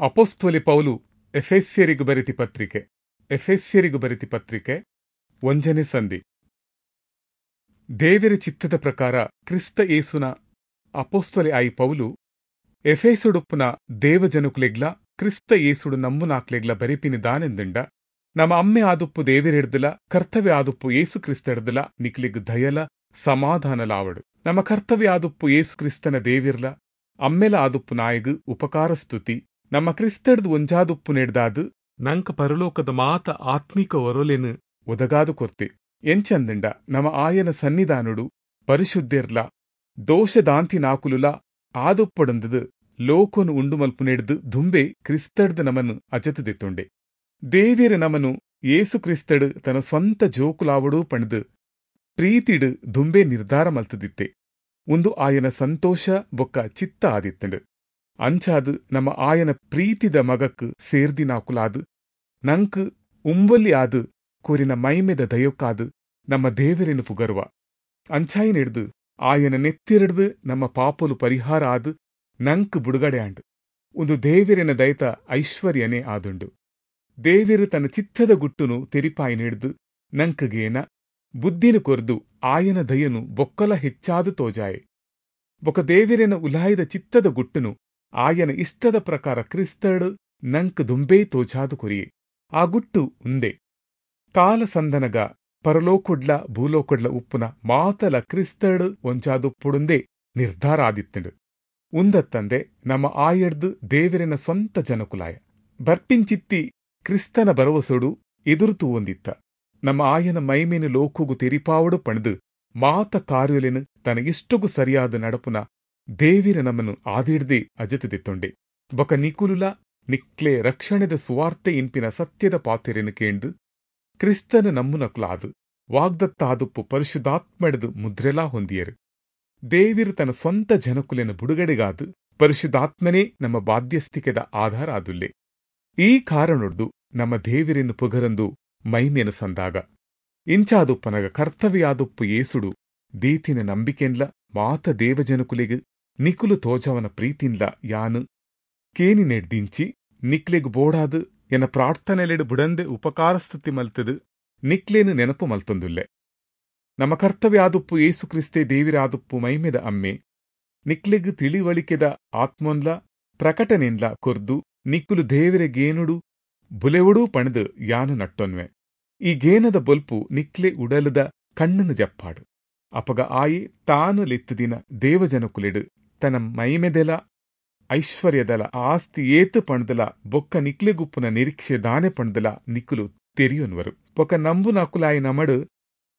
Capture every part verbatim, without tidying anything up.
ಅಪೊಸ್ತಲೆ ಪೌಲು ಎಫೆಸ್ಯರಿಗೆ ಬರೆತಿ ಪತ್ರಿಕೆ. ಎಫೆಸ್ಯರಿಗೆ ಬರೆತಿ ಪತ್ರಿಕೆ ಒಂಜನೇ ಸಂಧಿ. ದೇವರ ಚಿತ್ತದ ಪ್ರಕಾರ ಕ್ರಿಸ್ತ ಯೇಸುನ ಅಪೊಸ್ತಲೆ ಆಯಿ ಪೌಲು ಎಫೆಸುಡುಪ್ಪುನ ದೇವಜನುಕುಲೆಗ್ಲ ಕ್ರಿಸ್ತ ಯೇಸುಡು ನಂಬುನಾಕ್ಲೆಗ್ಲ ಬರೆಪಿನಿ ದಾನೆಂದುಂಡ, ನಮ್ಮ ಅಮ್ಮೆ ಆದುಪ್ಪು ದೇವರೆಡ್ದಲ ಕರ್ತವ್ಯ ಆದುಪ್ಪು ಯೇಸು ಕ್ರಿಸ್ತಡ್ದಲ ನಿಕ್ಲೆಗ್ ದಯಲ ಸಮಾಧಾನಲಾವಡು. ನಮ್ಮ ಕರ್ತವ್ಯ ಆದುಪ್ಪು ಯೇಸು ಕ್ರಿಸ್ತನ ದೇವಿರ್ಲ ಅಮ್ಮೆಲ ಆದುಪ್ಪು ನಾಯಗ್ ಉಪಕಾರ ಸ್ತುತಿ. ನಮ್ಮ ಕ್ರಿಸ್ತಡ್ದು ಒಂಜಾದುಪ್ಪು ನೆಡ್ದಾದು ನಂಕ ಪರಲೋಕದ ಮಾತ ಆತ್ಮಿಕ ಒರೊಲೆನು ಒದಗಾದು ಕೊರ್ತೆ. ಎಂಚಂದಂಡ ನಮ್ಮ ಆಯನ ಸನ್ನಿಧಾನುಡು ಪರಿಶುದ್ಧಿರ್ಲ ದೋಷದಾಂತಿ ನಾಕುಲುಲ ಆದುಪ್ಪಡಂದದು ಲೋಕನು ಉಂಡು ಮಲ್ಪು ನೆಡ್ದು ದುಂಬೆ ಕ್ರಿಸ್ತಡ್ದು ನಮನು ಅಜತುದೆತ್ತುಂಡೆ. ದೇವಿರ ನಮನು ಯೇಸು ಕ್ರಿಸ್ತಡು ತನ್ನ ಸ್ವಂತ ಜೋಕುಲಾವಡು ಪಣದು ಪ್ರೀತಿಡು ದುಂಬೆ ನಿರ್ಧಾರ ಮಲ್ತದಿತ್ತೆ. ಒಂದು ಆಯನ ಸಂತೋಷ ಬೊಕ್ಕ ಚಿತ್ತ ಆದಿತ್ತಂಡು. ಅಂಚಾದು ನಮ್ಮ ಆಯನ ಪ್ರೀತಿದ ಮಗಕ್ಕು ಸೇರ್ದಿನಾಕುಲಾದು ನಂಕ್ ಉಂಬೊಲ್ಲಿ ಆದು ಕೋರಿನ ಮೈಮೆದ ದಯೊಕ್ಕಾದು ನಮ್ಮ ದೇವರೇನು ಪುಗರುವ. ಅಂಚಾಯಿನೆಡ್ದು ಆಯನ ನೆತ್ತಿರಡ್ದು ನಮ್ಮ ಪಾಪಲು ಪರಿಹಾರ ಆದು ನಂಕ್ ಬುಡುಗಡೆ ಆಂಡು. ಒಂದು ದೇವರಿನ ದಯತ ಐಶ್ವರ್ಯನೇ ಆದುಂಡು. ದೇವರು ತನ್ನ ಚಿತ್ತದ ಗುಟ್ಟುನು ತೆರಿಪಾಯಿನೆಡ್ದು ನಂಕಗೇನ ಬುದ್ಧಿನ ಕೊರ್ದು ಆಯನ ದಯನು ಬೊಕ್ಕಲ ಹೆಚ್ಚಾದು ತೋಜಾಯೆ. ಬೊಕ ದೇವಿರನ ಉಲಾಯದ ಚಿತ್ತದ ಗುಟ್ಟುನು ಆಯನ ಇಷ್ಟದ ಪ್ರಕಾರ ಕ್ರಿಸ್ತಡು ನಂಕ್ ದುಂಬೇ ತೋಜಾದು ಕೊರಿಯೆ. ಆ ಗುಟ್ಟು ಉಂದೆ ಕಾಲಸಂದನಗ ಪರಲೋಕೊಡ್ಲ ಭೂಲೋಕೊಡ್ಲ ಉಪ್ಪುನ ಮಾತಲ ಕ್ರಿಸ್ತಡು ಒಂಜಾದುಪ್ಪುಡುಂದೇ ನಿರ್ಧಾರ ಆದಿತ್ತಂಡು. ಉಂದತ್ತಂದೆ ನಮ್ಮ ಆಯಡ್ದು ದೇವರಿನ ಸ್ವಂತ ಜನಕುಲಾಯ ಬರ್ಪಿಂಚಿತ್ತಿ ಕ್ರಿಸ್ತನ ಭರವಸೊಡು ಎದುರು ತೂವೊಂದಿತ್ತ. ನಮ್ಮ ಆಯನ ಮೈಮೇನು ಲೋಕುಗು ತೆರಿಪಾವಡು ಪಣದು ಮಾತ ಕಾರ್ಯಲೆನು ತನ್ನ ಇಷ್ಟಗೂ ಸರಿಯಾದ ನಡಪುನ ದೇವಿರ ನಮ್ಮನ್ನು ಆದಿಡ್ದೆ ಅಜತದೆತ್ತೊಂಡೆ. ಬೊಕ ನಿಕುಲುಲ ನಿಕ್ಲೆ ರಕ್ಷಣೆದ ಸುವಾರ್ತೆ ಇನ್ಪಿನ ಸತ್ಯದ ಪಾತೆರೆನು ಕೇಂದು ಕ್ರಿಸ್ತನ ನಮ್ಮುನಕುಲಾದು ವಾಗ್ದತ್ತಾದುಪ್ಪು ಪರಿಶುದ್ಧಾತ್ಮಡ್ದು ಮುದ್ರೆಲಾ ಹೊಂದಿಯರು. ದೇವಿರು ತನ್ನ ಸ್ವಂತ ಜನಕುಲೆನ ಬುಡುಗಡೆಗಾದು ಪರಿಶುದ್ಧಾತ್ಮನೇ ನಮ್ಮ ಬಾಧ್ಯಸ್ಥಿಕೆದ ಆಧಾರ ಆದುಲ್ಲೆ. ಈ ಕಾರಣೊಡ್ದು ನಮ್ಮ ದೇವಿರನ್ನು ಪುಗರಂದು ಮೈಮೇನು ಸಂದಾಗ ಇಂಚಾದುಪ್ಪನಗ ಕರ್ತವ್ಯಾದುಪ್ಪು ಏಸುಡು ದೀತಿನ ನಂಬಿಕೆನ್ಲ ಮಾತ ದೇವಜನಕುಲೆಗ್ ನಿಕುಲು ತೋಜವನ ಪ್ರೀತಿನ್ಲ ಯಾನು ಕೇನಿ ನೆಡ್ದಿಂಚಿ ನಿಕ್ಲೆಗ್ ಬೋಡಾದು ಎನ್ನ ಪ್ರಾರ್ಥನೆಲೆಡು ಬುಡಂದೆ ಉಪಕಾರಸ್ತುತಿ ಮಲ್ತದು ನಿಕ್ಲೇನು ನೆನಪು ಮಲ್ತೊಂದುಲ್ಲೆ. ನಮ್ಮ ಕರ್ತವ್ಯಾದುಪ್ಪು ಏಸು ಕ್ರಿಸ್ತೆ ದೇವಿರಾದುಪ್ಪು ಮೈಮೆದ ಅಮ್ಮೆ ನಿಕ್ಲೆಗ್ ತಿಳಿವಳಿಕೆದ ಆತ್ಮೊನ್ಲ ಪ್ರಕಟನೆನ್ಲ ಕೊರ್ದು ನಿಕ್ಕುಲು ದೇವಿರೆಗೇನುಡು ಬುಲೆವುಡೂ ಪಣದು ಯಾನು ನಟ್ಟೊನ್ವೆ. ಈ ಗೇನದ ಬೊಲ್ಪು ನಿಕ್ಲೆ ಉಡಲದ ಕಣ್ಣನು ಜಪ್ಪಾಡು. ಅಪಗ ಆಯಿ ತಾನು ಲೆತ್ತುದಿನ ದೇವಜನಕುಲೆಡು ತನ್ನ ಮೈಮೆದೆಲ ಐಶ್ವರ್ಯದಲ ಆಸ್ತಿ ಏತು ಪಣದಲ ಬೊಕ್ಕ ನಿಕ್ಲೆಗುಪ್ಪುನ ನಿರೀಕ್ಷೆ ದಾನೆ ಪಣದಲ ನಿಕ್ಕುಲು ತೆರಿಯೊನ್ವರು. ಬೊಕ್ಕ ನಂಬು ನಾಕುಲಾಯಿ ನಮಡು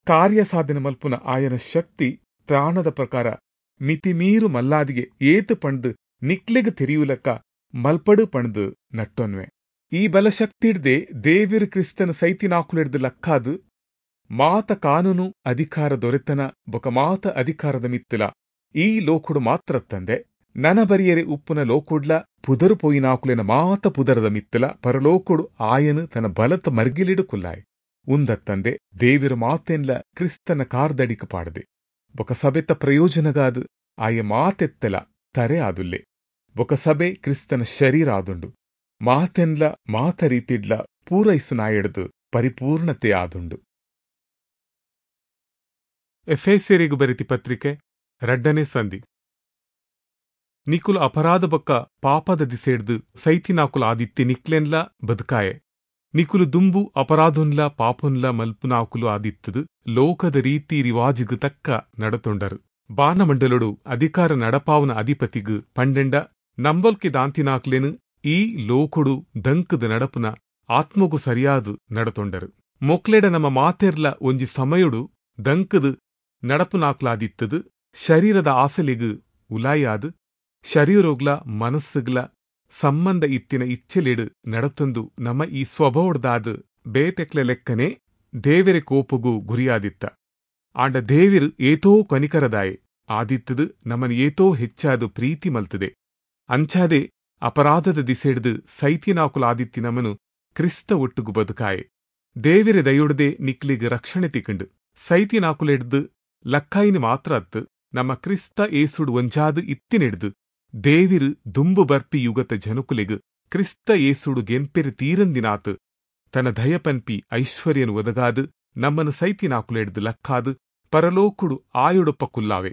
ಕಾರ್ಯ ಸಾಧನೆ ಮಲ್ಪುನ ಆಯನ ಶಕ್ತಿ ತ್ರಾಣದ ಪ್ರಕಾರ ಮಿತಿಮೀರು ಮಲ್ಲಾದಿಗೆ ಏತು ಪಣದು ನಿಕ್ಲೆಗ್ ತೆರಿಯುಲಕ್ಕ ಮಲ್ಪಡು ಪಣದು ನಟ್ಟೊನ್ವೆ. ಈ ಬಲಶಕ್ತಿಡ್ದೆ ದೇವಿರು ಕ್ರಿಸ್ತನ ಸೈತಿನಾಕುಲೆಡ್ದು ಲಕ್ಕಾದು ಮಾತ ಕಾನೂನು ಅಧಿಕಾರ ದೊರೆತನ ಬೊಕ ಮಾತ ಅಧಿಕಾರದ ಮಿತ್ತಲ ಈ ಲೋಕುಡು ಮಾತ್ರ ತಂದೆ ನನ ಬರಿಯರೆ ಉಪ್ಪುನ ಲೋಕುಡ್ಲ ಪುದರು ಪೋಯಿನಾಕುಲೆನ ಮಾತ ಪುದರದ ಮಿತ್ತಲ ಪರಲೋಕುಡು ಆಯನು ತನ್ನ ಬಲತ ಮರ್ಗಿಲಿಡು ಕುಲ್ಲಾಯ್. ಉಂದತ್ತಂದೆ ದೇವಿರು ಮಾತೆನ್ಲ ಕ್ರಿಸ್ತನ ಕಾರ್ದಡಿಕ ಪಾಡದೆ ಬೊಕ ಸಭೆತ ಪ್ರಯೋಜನಗಾದು ಆಯ ಮಾತೆತ್ತಲ ತರೆ ಆದುಲ್ಲೆ. ಬೊಕ ಸಭೆ ಕ್ರಿಸ್ತನ ಶರೀರ ಆದುಂಡು. ಮಾತೆನ್ಲ ಮಾತ ರೀತಿಡ್ಲ ಪೂರೈಸು ನಾಯಡ್ದು ಪರಿಪೂರ್ಣತೆ ಆದುಂಡು. ಎಫೆಸ್ಯರಿಗೆ ಬರೆತಿ ಪತ್ರಿಕೆ ರಡ್ಡನೇ ಸಂಧಿ. ನಿಕುಲು ಅಪರಾಧ ಬೊಕ್ಕ ಪಾಪದ ದಿಸೆಡ್ದು ಸೈತಿನಾಕುಲು ಆದಿತ್ತಿ ನಿಕ್ಲೆನ್ಲ ಬದುಕಾಯೆ. ನಿಕುಲು ದುಂಬು ಅಪರಾಧೊನ್ಲ ಪಾಪೊನ್ಲ ಮಲ್ಪುನಾಕುಲು ಆದಿತ್ತದು ಲೋಕದ ರೀತಿ ರಿವಾಜಿಗು ತಕ್ಕ ನಡತೊಂಡರು. ಬಾನಮಂಡಲೊಡು ಅಧಿಕಾರ ನಡಪಾವನ ಅಧಿಪತಿಗು ಪಂಡೆಂಡ ನಂಬಲ್ಕೆ ದಾಂತಿನಾಕ್ಲೆನು ಈ ಲೋಕೊಡು ದಂಕದ ನಡಪುನ ಆತ್ಮಗು ಸರಿಯಾದು ನಡತೊಂಡರು. ಮೊಕ್ಲೆಡ ನಮ್ಮ ಮಾತೆರ್ಲ ಒಂಜಿ ಸಮಯೊಡು ದಂಕದು ನಡಪುನಾಕ್ಲಾದಿತ್ತದು ಶರೀರದ ಆಸೆಲೆಗು ಉಲಾಯಾದು ಶರೀರೋಗ್ಲ ಮನಸ್ಸುಗ್ಲ ಸಂಬಂಧ ಇತ್ತಿನ ಇಚ್ಛೆಲೆಡು ನಡತೊಂದು ನಮ್ಮ ಈ ಸ್ವಭಾವಡ್ದಾದು ಬೇತೆಕ್ಲೆ ಲೆಕ್ಕನೆ ದೇವೆರೆ ಕೋಪಗೂ ಗುರಿಯಾದಿತ್ತ. ಆಂಡ ದೇವಿರು ಏತೋ ಕನಿಕರದಾಯೆ ಆದಿತ್ತದು ನಮ್ಮನ್ನು ಏತೋ ಹೆಚ್ಚಾದು ಪ್ರೀತಿ ಮಲ್ತದೆ. ಅಂಚಾದೆ ಅಪರಾಧದ ದಿಸೆಡ್ದು ಸೈತಿನಾಕುಲಾದಿತ್ತಿ ನಮನು ಕ್ರಿಸ್ತ ಒಟ್ಟುಗು ಬದುಕಾಯೆ. ದೇವಿರೆ ದಯೊಡದೆ ನಿಕ್ಲಿಗ್ ರಕ್ಷಣೆ ತಿಕ್ಕಂಡು ಸೈತಿನಾಕುಲೆಡ್ದು ಲಕ್ಕಾಯಿನ ಮಾತ್ರ ಅತ್ತು ನಮ್ಮ ಕ್ರಿಸ್ತ ಏಸುಡು ಒಂಜಾದು ಇತ್ತಿನೆಡ್ದು ದೇವಿರು ದುಂಬು ಬರ್ಪಿ ಯುಗತ ಜನಕುಲೆಗ್ ಕ್ರಿಸ್ತ ಯೇಸುಡು ಗೆಂಪೆರಿ ತೀರಂದಿನಾತ್ ತನ ದಯಪನ್ಪಿ ಐಶ್ವರ್ಯನು ಒದಗಾದು ನಮ್ಮನು ಸೈತಿನಾಕುಲೆಡ್ದು ಲಕ್ಕಾದು ಪರಲೋಕುಡು ಆಯುಡೊಪ್ಪ ಕುಲ್ಲಾವೆ.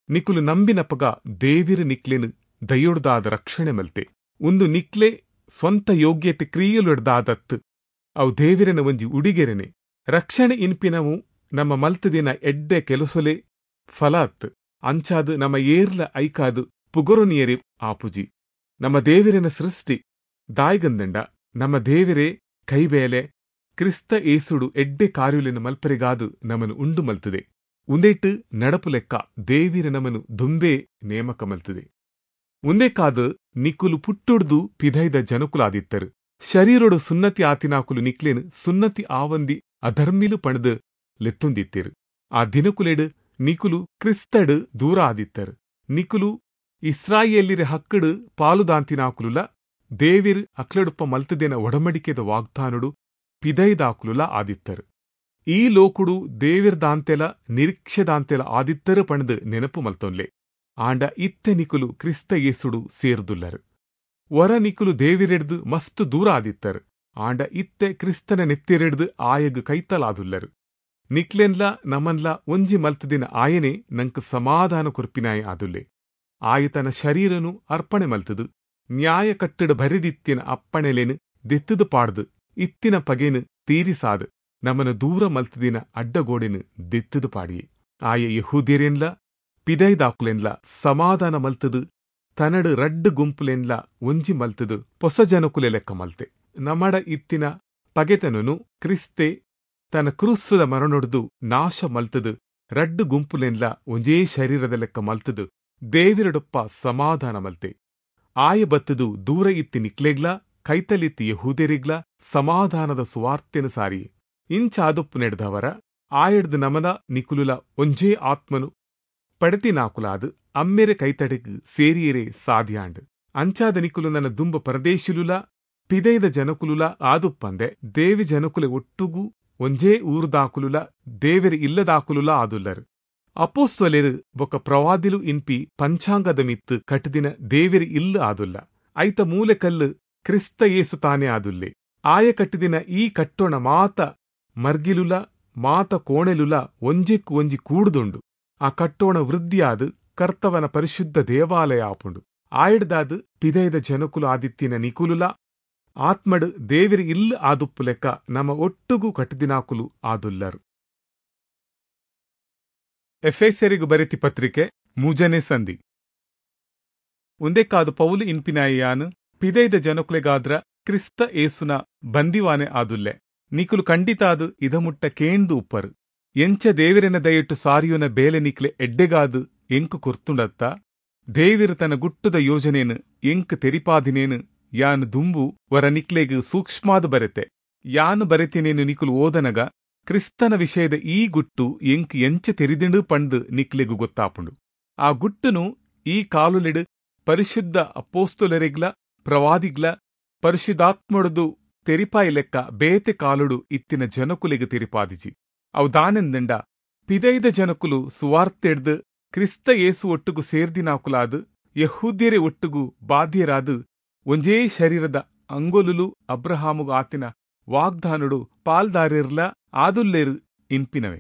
ನಿಕುಲು ನಂಬಿನಪಗ ದೇವಿರು ನಿಕ್ಲೆನು ದಯೊಡ್ದಾದ ರಕ್ಷಣೆ ಮಲ್ತೆ. ಉಂದು ನಿಕ್ಲೆ ಸ್ವಂತ ಯೋಗ್ಯತೆ ಕ್ರಿಯೆಲೊಡ್ದಾದತ್ತು, ಅವು ದೇವಿರನ ಒಂಜಿ ಉಡಿಗೆರೆನೆ. ರಕ್ಷಣೆ ಇನ್ಪಿನವು ನಮ್ಮ ಮಲ್ತದಿನ ಎಡ್ಡೆ ಕೆಲಸೊಲೆ ಫಲ ಅತ್ತು. ಅಂಚಾದು ನಮ್ಮ ಏರ್ಲ ಐಕಾದು ಪುಗರುನಿಯರೆ ಆಪುಜಿ. ನಮ್ಮ ದೇವಿರನ ಸೃಷ್ಟಿ ದಾಯ್ಗಂದಂಡ ನಮ್ಮ ದೇವಿರೇ ಕೈಬೇಲೆ ಕ್ರಿಸ್ತ ಏಸುಡು ಎಡ್ಡೆ ಕಾರ್ಯುಲೆನ ಮಲ್ಪರಿಗಾದು ನಮನು ಉಂಡು ಮಲ್ತದೆ. ಉಂದೇಟು ನಡಪು ಲೆಕ್ಕ ದೇವಿರ ನಮನು ದುಂಬೆ ನೇಮಕ ಮಲ್ತದೆ. ಉಂದೇಕಾದು ನಿಕುಲು ಪುಟ್ಟುಡ್ದು ಪಿದೈದ ಜನಕುಲಾದಿತ್ತರು. ಶರೀರೊಡು ಸುನ್ನತಿ ಆತಿನಾಕುಲು ನಿಕ್ಲೇನು ಸುನ್ನತಿ ಆವಂದಿ ಅಧರ್ಮಿಲು ಪಣದು ಲೆತ್ತೊಂದಿತ್ತೇರು. ಆ ದಿನಕುಲೆಡು ನಿಕುಲು ಕ್ರಿಸ್ತಡು ದೂರ ಆದಿತ್ತರು. ನಿಕುಲು ಇಸ್ರಾಯೇಲಿರ ಹಕ್ಕಡು ಪಾಲುದಾಂತಿನಾಕುಲುಲ ದೇವಿರ್ ಅಕ್ಲಡುಪ್ಪ ಮಲ್ತದೇನ ಒಡಮಡಿಕೆದ ವಾಗ್ದಾನುಡು ಪಿದೈದಾಕುಲುಲ ಆದಿತ್ತರು. ಈ ಲೋಕುಡು ದೇವಿರ್ದಾಂತೆಲ ನಿರೀಕ್ಷೆದಾಂತೆಲ ಆದಿತ್ತರು ಪಣದು ನೆನಪು ಮಲ್ತೊನ್ಲೆ. ಆಂಡ ಇತ್ತೆ ನಿಕುಲು ಕ್ರಿಸ್ತ ಯೇಸುಡು ಸೇರ್ದುಲ್ಲರು. ವರ ನಿಕುಲು ದೇವಿರೆಡ್ದು ಮಸ್ತ್ ದೂರ ಆದಿತ್ತರು. ಆಂಡ ಇತ್ತೆ ಕ್ರಿಸ್ತನ ನೆತ್ತಿರೆಡ್ದು ಆಯಗ್ ಕೈತಲಾದುಲ್ಲರು. ನಿಕ್ಲೆನ್ಲ ನಮನ್ಲ ಒಂಜಿ ಮಲ್ತದಿನ ಆಯನೆ ನಂಕ್ ಸಮಾಧಾನ ಕೊರ್ಪಿನಾಯ ಆದುಲ್ಲೆ. ಆಯ ತನ್ನ ಶರೀರನು ಅರ್ಪಣೆ ಮಲ್ತದು ನ್ಯಾಯ ಕಟ್ಟಡ ಬರೆದಿತ್ತಿನ ಅಪ್ಪಣೆಲೇನು ದೆತ್ತದು ಪಾಡ್ದು ಇತ್ತಿನ ಪಗೆನು ತೀರಿಸಾದು ನಮನ ದೂರ ಮಲ್ತದಿನ ಅಡ್ಡಗೋಡೆನು ದೆತ್ತದು ಪಾಡಿಯೆ. ಆಯ ಯಹೂದ್ಯರೆನ್ಲ ಪಿದೈದಾಕುಲೆನ್ಲ ಸಮಾಧಾನ ಮಲ್ತದು ತನಡು ರಡ್ಡು ಗುಂಪುಲೆನ್ಲ ಒಂಜಿ ಮಲ್ತದು ಪೊಸ ಜನಕುಲೆ ಲೆಕ್ಕ ಮಲ್ತೆ. ನಮಡ ಇತ್ತಿನ ಪಗೆತನನು ಕ್ರಿಸ್ತೆ ತನ್ನ ಕ್ರೂಸ್ತದ ಮರಣೊಡ್ದು ನಾಶ ಮಲ್ತದು ರಡ್ಡು ಗುಂಪುಲೆನ್ಲ ಒಂಜೇ ಶರೀರದ ಲೆಕ್ಕ ಮಲ್ತದು ದೇವಿರಡೊಪ್ಪ ಸಮಾಧಾನ ಮಲ್ತೆ. ಆಯ ಬತ್ತದು ದೂರ ಇತ್ತಿ ನಿಕ್ಲೆಗ್ಲ ಕೈತಲಿತ್ತಿ ಯಹೂದ್ಯರಿಗ್ಲ ಸಮಾಧಾನದ ಸುವಾರ್ತೆನು ಸಾರಿಯೆ. ಇಂಚಾದೊಪ್ಪು ನೆಡ್ದವರ ಆಯಡ್ದು ನಮನ ನಿಕುಲುಲ ಒಂಜೇ ಆತ್ಮನು ಪಡತಿನಾಕುಲಾದು ಅಮ್ಮೆರೆ ಕೈತಡೆಗ್ ಸೇರಿಯರೆ ಸಾಧ್ಯಾಂಡ್. ಅಂಚಾದ ನಿಕುಲು ನನ್ನ ದುಂಬ ಪರದೇಶಿಲುಲ ಪಿದೈದ ಜನಕುಲುಲ ಆದುಪ್ಪಂದೆ ದೇವಿ ಜನಕುಲೆ ಒಟ್ಟುಗು ಒಂಜೇ ಊರುದಾಕುಲುಲ ದೇವೆರೆ ಇಲ್ಲದಾಕುಲುಲ ಆದುಲ್ಲರು. ಅಪೋಸ್ತಲೆರು ಬೊಕ್ಕ ಪ್ರವಾದಿಲು ಇನ್ಪಿ ಪಂಚಾಂಗದ ಮಿತ್ತು ಕಟ್ಟದಿನ ದೇವೆರೆ ಇಲ್ಲ ಆದುಲ್ಲ. ಐತ ಮೂಲೆಕಲ್ಲು ಕ್ರಿಸ್ತ ಯೇಸು ತಾನೇ ಆದುಲ್ಲೆ. ಆಯ ಕಟ್ಟಿದಿನ ಈ ಕಟ್ಟೋಣ ಮಾತ ಮರ್ಗಿಲುಲ ಮಾತ ಕೋಣೆಲುಲ ಒಂಜೆಕ್ಕು ಒಂಜಿ ಕೂಡುದುಂಡು. ಆ ಕಟ್ಟೋಣ ವೃದ್ಧಿಯಾದು ಕರ್ತವನ ಪರಿಶುದ್ಧ ದೇವಾಲಯ ಆಪುಂಡು. ಆಯಡ್ದಾದು ಪಿದೈದ ಜನಕುಲು ಆದಿತ್ತಿನ ನಿಕುಲುಲ ಆತ್ಮಡು ದೇವಿರ ಇಲ್ಲ ಆದುಪ್ಪು ಲೆಕ್ಕ ನಮ್ಮ ಒಟ್ಟುಗು ಕಟ್ಟಿದಿನಾಕುಲು ಆದುಲ್ಲರು. ಎಫೆಸೆರಿಗು ಬರೆತಿ ಪತ್ರಿಕೆ ಮೂಜನೇ ಸಂಧಿ. ಒಂದೇಕಾದು ಪೌಲು ಇನ್ಪಿನಾಯಿಯಾನು ಪಿದೈದ ಜನಕುಲೆಗಾದ್ರ ಕ್ರಿಸ್ತ ಏಸುನ ಬಂದಿವಾನೆ ಆದುಲ್ಲೆ. ನಿಕುಲು ಖಂಡಿತಾದು ಇದಮುಟ್ಟ ಕೇಂದು ಉಪ್ಪರು. ಎಂಚ ದೇವಿರನ ದಯಟ್ಟು ಸಾರಿಯುನ ಬೇಲೆ ನಿಕ್ಲೆ ಎಡ್ಡೆಗಾದು ಎಂಕು ಕೊರ್ತುಂಡತ್ತ ದೇವಿರ ತನ್ನ ಗುಟ್ಟುದ ಯೋಜನೇನು ಎಂಕ್ ತೆರಿಪಾದಿನೇನು ಯಾನು ದುಂಬು ವರ ನಿಕ್ಲೆಗ್ ಸೂಕ್ಷ್ಮಾದು ಬರೆತೆ. ಯಾನು ಬರೆತಿನೇನು ನಿಕುಲು ಓದನಗ ಕ್ರಿಸ್ತನ ವಿಷಯದ ಈ ಗುಟ್ಟು ಎಂಕ್ ಎಂಚ ತೆರಿದಿಂಡು ಪಂಡು ನಿಕ್ಲೆಗು ಗೊತ್ತಾಪುಂಡು. ಆ ಗುಟ್ಟುನು ಈ ಕಾಲುಲೆಡು ಪರಿಶುದ್ಧ ಅಪೋಸ್ತುಲರೆಗ್ಲ ಪ್ರವಾದಿಗ್ಲ ಪರಿಶುದ್ಧಾತ್ಮೊಡುದು ತೆರಿಪಾಯಿ ಲೆಕ್ಕ ಬೇತೆ ಕಾಲುಡು ಇತ್ತಿನ ಜನಕುಲೆಗ್ ತೆರಿಪಾದಿಜಿ. ಅವು ದಾನೆಂದಂಡ ಪಿದೈದ ಜನಕುಲು ಸುವಾರ್ತೆಡ್ದು ಕ್ರಿಸ್ತ ಯೇಸು ಒಟ್ಟುಗು ಸೇರ್ದಿನಾಕುಲಾದು ಯಹೂದ್ಯರೆ ಒಟ್ಟುಗು ಬಾಧ್ಯರಾದು ಒಂಜೇ ಶರೀರದ ಅಂಗೊಲುಲು ಅಬ್ರಹಾಮುಗು ಆತಿನ ವಾಗ್ದಾನುಡು ಪಾಲ್ದಾರಿರ್ಲ ಆದುಲ್ಲೇರು ಇನ್ಪಿನವೆ.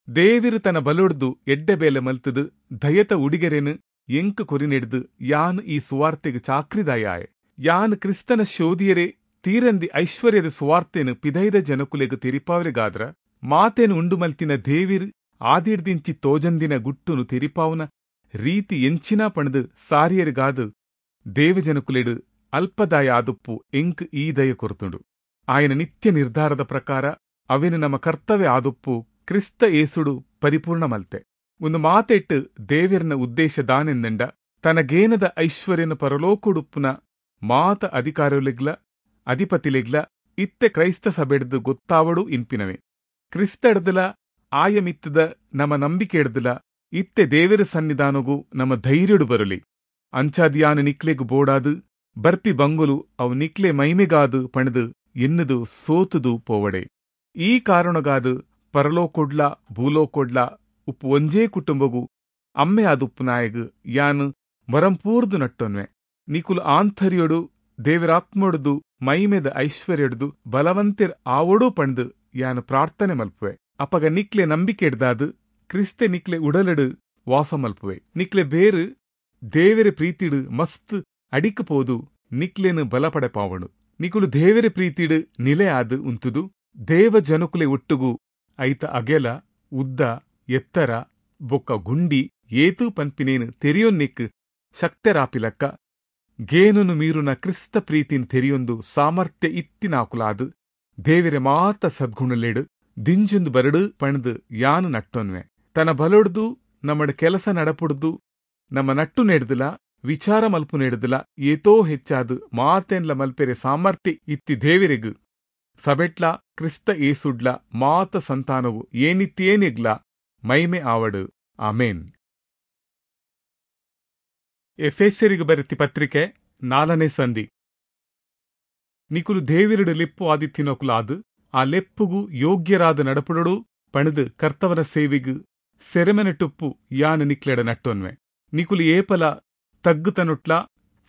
ದೇವಿರು ತನ್ನ ಬಲೊಡ್ದು ಎಡ್ಡೆ ಬೇಲೆ ಮಲ್ತದು ದಯತ ಉಡಿಗೆರೆನು ಎಂಕ್ ಕೊರಿನೆಡ್ದು ಯಾನ್ ಈ ಸುವಾರ್ತೆಗ್ ಚಾಕ್ರಿದಾಯಾಯೆ. ಯಾನ್ ಕ್ರಿಸ್ತನ ಶೋಧಿಯರೆ ತೀರಂದಿ ಐಶ್ವರ್ಯದ ಸುವಾರ್ತೆನು ಪಿದೈದ ಜನಕುಲೆಗ್ ತೆರಿಪಾವರೆಗಾದ್ರ ಮಾತೇನು ಉಂಡು ಮಲ್ತಿನ ದೇವಿರ್ ಆದಿಡ್ದಿಂಚಿ ತೋಜಂದಿನ ಗುಟ್ಟುನು ತೆರಿಪಾವನ ರೀತಿ ಎಂಚಿನ ಪಣದು ಸಾರಿಯರಿಗಾದು ದೇವಜನಕುಲೆಡು ಅಲ್ಪದಾಯ ಆದುಪ್ಪು ಎಂಕ್ ಈ ದಯ ಕೊರ್ತುಂಡು. ಆಯನ ನಿತ್ಯ ನಿರ್ಧಾರದ ಪ್ರಕಾರ ಅವೆನು ನಮ್ಮ ಕರ್ತವ್ಯ ಆದುಪ್ಪು ಕ್ರಿಸ್ತ ಏಸುಡು ಪರಿಪೂರ್ಣ ಮಲ್ತೆ. ಒಂದು ಮಾತೆಟ್ಟು ದೇವಿರ್ನ ಉದ್ದೇಶ ದಾನೆಂದಂಡ ತನಗೇನದ ಐಶ್ವರ್ಯನ ಪರಲೋಕುಡುಪ್ಪುನ ಮಾತ ಅಧಿಕಾರಲೆಗ್ಲ ಅಧಿಪತಿಲೆಗ್ಲ ಇತ್ತೆ ಕ್ರೈಸ್ತ ಸಭೆಡ್ದು ಗೊತ್ತಾವಡು ಇನ್ಪಿನವೆ. ಕ್ರಿಸ್ತಡ್ದಲ ಆಯಮಿತ್ತದ ನಮ್ಮ ನಂಬಿಕೆ ಎಡ್ದಲ ಇತ್ತೆ ದೇವಿರ ಸನ್ನಿಧಾನಗು ನಮ್ಮ ಧೈರ್ಯಡು ಬರಲಿ. ಅಂಚಾದಿಯಾನು ನಿಕ್ಲೆಗು ಬೋಡಾದು ಬರ್ಪಿ ಬಂಗುಲು ಅವು ನಿಕ್ಲೆ ಮೈಮೆಗಾದು ಪಣದು ಎನ್ನುದು ಸೋತುದು ಪೋವಡೆ. ಈ ಕಾರಣಗಾದು ಪರಲೋಕೊಡ್ಲ ಭೂಲೋಕೊಡ್ಲ ಉಪ್ಪು ಒಂಜೇ ಕುಟುಂಬಗು ಅಮ್ಮೆ ಆದುಪ್ಪು ನಾಯಗು ಯಾನು ಮರಂಪೂರ್ದು ನಟ್ಟೊನ್ವೆ. ನಿಕುಲು ಆಂತರ್ಯೊಡು ದೇವರಾತ್ಮೊಡುದು ಮೈಮೆದ ಐಶ್ವರ್ಯೊಡುದು ಬಲವಂತೆರ್ ಆವೊಡು ಪಂಡ್ ಯಾನು ಪ್ರಾರ್ಥನೆ ಮಲ್ಪುವೆ. ಅಪಗ ನಿಕ್ಲೆ ನಂಬಿಕೆಡ್ದಾದ್ ಕ್ರಿಸ್ತೆ ನಿಕ್ಲೆ ಉಡಲಡು ವಾಸ ಮಲ್ಪುವೆ. ನಿಕ್ಲೆ ಬೇರು ದೇವೆರೆ ಪ್ರೀತಿಡು ಮಸ್ತ್ ಅಡಿಕ್ ಪೋದು ನಿಕ್ಲೆನು ಬಲಪಡೆ ಪಾವಣು. ನಿಕುಲು ದೇವೆರೆ ಪ್ರೀತಿಡು ನಿಲೆ ಆದ್ ಉಂತುದು ದೇವ ಜನಕುಲೆ ಒಟ್ಟುಗು ಐತ ಅಗೆಲ ಉದ್ದ ಎತ್ತರ ಬೊಕ್ಕ ಗುಂಡಿ ಏತು ಪನ್ಪಿನೇನು ತೆರಿಯೊನ್ನಿಕ್ ಶಕ್ತರಾಪಿಲಕ್ಕ ಗೇನುನು ಮೀರುನ ಕ್ರಿಸ್ತ ಪ್ರೀತಿನ್ ತೆರಿಯೊಂದು ಸಾಮರ್ಥ್ಯ ಇತ್ತಿನಾಕುಲಾದ್ ದೇವೆರೆ ಮಾತ ಸದ್ಗುಣಲೆಡು ದಿಂಜೊಂದು ಬರಡು ಪಣ್ದು ಯಾನು ನಟ್ಟೊನ್ವೆ. ತನ್ನ ಬಲೊಡ್ದು ನಮ್ಮಡ ಕೆಲಸ ನಡಪುಡ್ದು ನಮ್ಮ ನಟ್ಟು ನೆಡ್ದಲ ವಿಚಾರ ಮಲ್ಪು ನೆಡ್ದಲ ಏತೋ ಹೆಚ್ಚಾದ್ ಮಾತೆನ್ಲ ಮಲ್ಪೆರೆ ಸಾಮರ್ಥ್ಯ ಇತ್ತಿ ದೇವೆರೆಗ್ ಸಬೆಟ್ಲ ಕ್ರಿಸ್ತ ಏಸುಡ್ಲ ಮಾತ ಸಂತಾನವು ಏನಿತ್ತೇನಿಗ್ಲ ಮೈಮೆ ಆವಡು. ಆಮೇನ್. ಎಫೆಸರಿಗೆ ಬರೆತಿ ಪತ್ರಿಕೆ ನಾಲ್ಕನೇ ಸಂಧಿ. ನಿಕುಲು ದೇವಿರಡು ಲೆಪ್ಪು ಆದಿತ್ತಿನೊಕುಲಾದು ಆ ಲೆಪ್ಪುಗು ಯೋಗ್ಯರಾದ ನಡಪುಡಡು ಪಣದು ಕರ್ತವನ ಸೇವೆಗು ಸೆರೆಮನೆಟುಪ್ಪು ಯಾನು ನಿಕ್ಲೆಡ ನಟ್ಟೊನ್ವೆ. ನಿಕುಲು ಏಪಲ ತಗ್ಗುತನುಟ್ಲ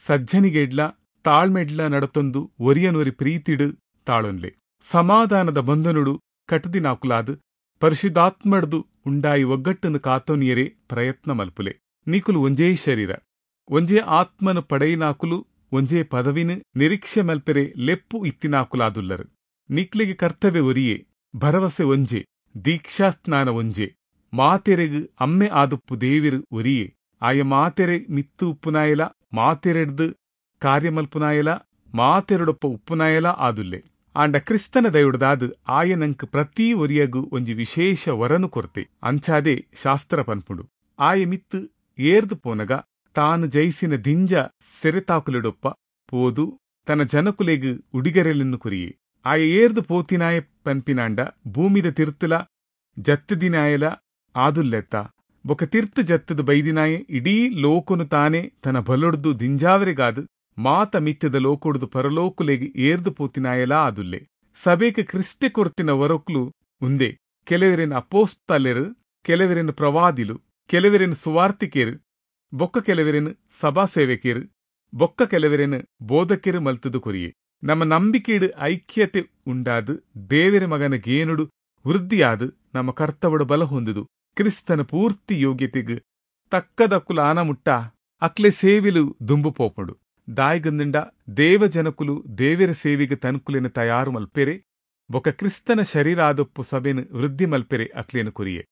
ಸಜ್ಜನಿಗೆಡ್ಲ ತಾಳ್ಮೆಡ್ಲ ನಡತೊಂದು ಒರಿಯನೊರಿ ಪ್ರೀತಿಡು ತಾಳೊನ್ಲೆ. ಸಮಾಧಾನದ ಬಂಧನುಡು ಕಟದಿನಾಕುಲಾದು ಪರಿಶುದ್ಧಾತ್ಮಡ್ದು ಉಂಡಾಯಿ ಒಗ್ಗಟ್ಟನ್ನು ಕಾತೊನಿಯರೆ ಪ್ರಯತ್ನ ಮಲ್ಪುಲೆ. ನಿಕುಲು ಒಂಜೇ ಶರೀರ ಒಂಜೇ ಆತ್ಮನು ಪಡೆಯಿನಾಕುಲು ಒಂಜೇ ಪದವಿನ ನಿರೀಕ್ಷೆ ಮಲ್ಪೆರೆ ಲೆಪ್ಪು ಇತ್ತಿನಾಕುಲಾದುಲ್ಲರು. ನಿಕ್ಲೆಗೆ ಕರ್ತವ್ಯ ಒರಿಯೇ, ಭರವಸೆ ಒಂಜೆ, ದೀಕ್ಷಾಸ್ನಾನ ಒಂಜೆ, ಮಾತೆರೆಗು ಅಮ್ಮೆ ಆದುಪ್ಪು ದೇವಿರು ಒರಿಯೇ. ಆಯ ಮಾತೆರೆ ಮಿತ್ತು ಉಪ್ಪುನಾಯಲ ಮಾತೆರೆಡ್ದು ಕಾರ್ಯಮಲ್ಪುನಾಯಲ ಮಾತೆರೊಡೊಪ್ಪ ಉಪ್ಪುನಾಯಲ ಆದುಲ್ಲೆ. ಆಂಡ ಕ್ರಿಸ್ತನ ದಯುಡ್ದಾದು ಆಯನಂಕ್ ಪ್ರತಿ ಒರಿಯಗು ಒಂಜಿ ವಿಶೇಷ ವರನು ಕೊರ್ತೆ. ಅಂಚಾದೆ ಶಾಸ್ತ್ರ ಪನ್ಪುಂಡು, ಆಯ ಮಿತ್ತು ಏರ್ದು ಪೋನಗ ತಾನು ಜಯಿಸಿನ ದಿಂಜ ಸೆರೆತಾಕುಲೆಡೊಪ್ಪ ಪೋದು ತನ್ನ ಜನಕುಲೆಗು ಉಡಿಗರೆಲನ್ನು ಕುರಿಯೆ. ಆಯ ಏರ್ದು ಪೋತಿನಾಯ ಪನ್ಪಿನಾಂಡ ಭೂಮಿದ ತಿರ್ತುಲ ಜತ್ತದಿನಾಯಲ ಆದುಲ್ಲೆತ್ತ. ಬೊಕ ತಿರ್ತು ಜತ್ತದ ಬೈದಿನಾಯೆ ಇಡೀ ಲೋಕನು ತಾನೇ ತನ್ನ ಬಲೊಡ್ದು ದಿಂಜಾವರೆಗಾದು ಮಾತ ಮಿತ್ತದ ಲೋಕೊಡ್ದು ಪರಲೋಕುಲೆಗ್ ಏರ್ದು ಪೋತಿನಾಯಲ ಆದುಲ್ಲೆ. ಸಭೆಗೆ ಕ್ರಿಸ್ತೆ ಕೊರ್ತಿನ ವರೊಕ್ಲು ಉಂದೆ. ಕೆಲವರೆನ್ ಅಪೋಸ್ತಲೆರು, ಕೆಲವರೆನ್ ಪ್ರವಾದಿಲು, ಕೆಲವರೆನ್ ಸುವಾರ್ತಿಕೆರು, ಬೊಕ್ಕ ಕೆಲವರೆನ್ ಸಭಾ ಸೇವಕೆರು, ಬೊಕ್ಕ ಕೆಲವರೆನ್ ಬೋಧಕೆರು ಮಲ್ತದು ಕೊರಿಯೆ. ನಮ್ಮ ನಂಬಿಕೆಡು ಐಕ್ಯತೆ ಉಂಡಾದು ದೇವರ ಮಗನ ಗೇನುಡು ವೃದ್ಧಿಯಾದು ನಮ್ಮ ಕರ್ತವಡು ಬಲ ಹೊಂದುದು ಕ್ರಿಸ್ತನ ಪೂರ್ತಿ ಯೋಗ್ಯತೆಗ್ ತಕ್ಕದಕ್ಕುಲ ಆನಮುಟ್ಟ ಅಕ್ಲೆ ಸೇವಿಲು ದುಂಬು ಪೋಪುಂಡು. ದಾಯಿಗಂದಿಂಡ ದೇವಜನಕುಲು ದೇವರ ಸೇವೆಗೆ ತನ್ಕುಲೆನ ತಯಾರು ಮಲ್ಪೆರೆ ಬೊಕ ಕ್ರಿಸ್ತನ ಶರೀರ ಆದೊಪ್ಪು ಸಭೆನು ವೃದ್ಧಿ ಮಲ್ಪೆರೆ ಅಕ್ಲೇನು ಕೊರಿಯೆ.